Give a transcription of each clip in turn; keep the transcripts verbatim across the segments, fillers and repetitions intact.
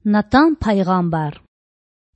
Натан пайгъамбар.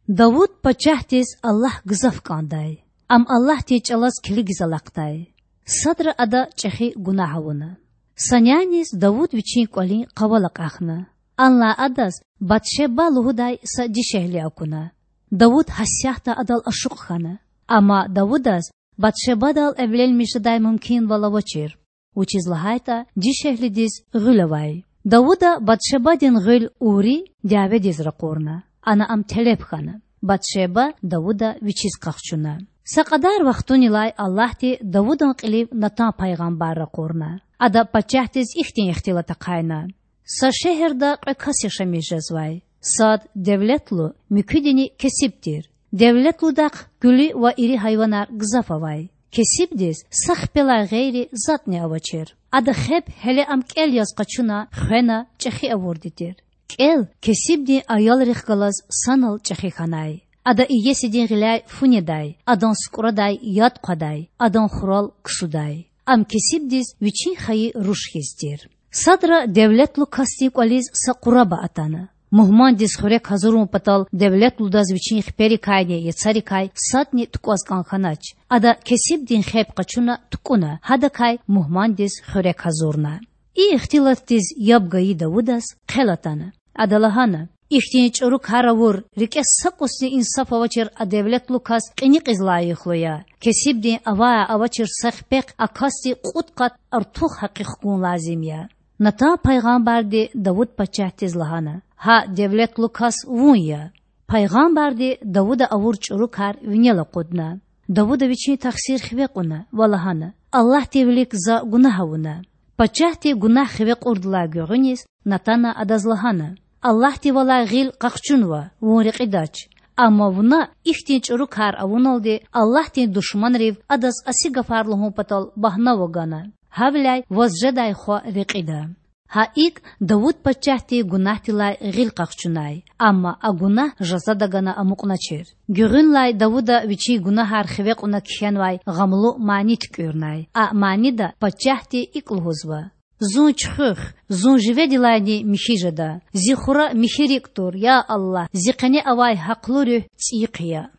Давуд пачагьдиз Аллагь гзаф кІандай. Ам Аллагьдин чІалаз килигиз алахъдай. Садра ада чІехи гунагь авуна. Са няниз Давуд вичин кІвалин къавал акьахна. Анлай адаз Батшеба лугьудай са дишегьли акуна. Давуд гьасятда адал ашукь хьана. Амма Давудаз Батшебадал эвленмиш жедай мумкинвал авачир, вучиз лагьайтІа дишегьлидиз гъуьл авай. Давуда Батшебадин гъуьл Ури дяведиз ракъурна. Ана ам телеб хьана. Батшеба Давуда вичиз къахчуна. Са кьадар вахтунилай Аллагьди Давудан кьилив Натан пайгъамбар ракъурна. Ада пачагьдиз ихьтин ихтилат ахъайна: Са шегьерда кьве кас яшамиш жезвай. Сад девлетлу, муькуьдини кесиб тир. Девлетлудахъ гуьлуь ва ири гьайванар гзаф авай. Кесибдиз са хпелай гъейри затІни авачир. Ада хеб, гьеле ам кІел яз къачуна, хвена, чІехи авурди тир. КІел кесибдин аялрихъ галаз санал чІехи хьанай. Ада иесидин гъиляй фу недай, адан сукІрадай яд хъвадай, адан хурал ксудай. Ам кесибдиз вичин хайи руш хьиз тир. Садра девлетлу касдин кІвализ са къураба атана. Мугьмандиз хуьрек гьазурун патал девлетлудаз вичин хиперикайни яцарикай садни тукІваз кІан хьанач. Ада кесибдин хеб къачуна тукІуна, гьадакай мугьмандиз хуьрек гьазурна. И ихтилатдиз яб гайи Давудаз хъел атана. Ада лагьана: Ихьтин чІуру кар авур, рикІе са кІусни инсаф авачир а девлетлу кас кьиникьиз лайихлу я. Кесибдин авай-авачир са хипехъ а касди кьуд къат артух гьакъи хкун лазим я. Натан пайгъамбарди Давуд пачагьдиз лагьана: Гьа девлетлу кас вун я. Пайгъамбарди Давуда авур чІуру кар винел акъудна. Давуда вичин тахсир хиве кьуна ва лагьана: Аллагьдин вилик за гунагь авуна. Пачагьди гунагь хиве кьурдалай гуьгъуьниз Натана адаз лагьана: Аллагьдивалай гъил къахчунва, вун рекьидач. Амма вуна ихьтин чІуру кар авуналди Аллагьдин душманрив адаз аси гафар лугьун патал багьнава гана. Гьавиляй ваз жедай хва рекьида. Гьа икІ Давуд пачагьди гунагьдилай гъил къахчунай, амма а гунагь жазада гана амукьначир. Гуьгъуьнлай Давуда вичин гунагьар хиве кьуна кхьенвай гъамлу мани туькІуьрнай. А манида пачагьди икІ лугьузва: Зун чуьхуьх, зун живедилайни михьи жеда. Зи хура михьи рикІ тур, я Аллагь, зи къене авай гьахълу руьгь цІийихъ ая.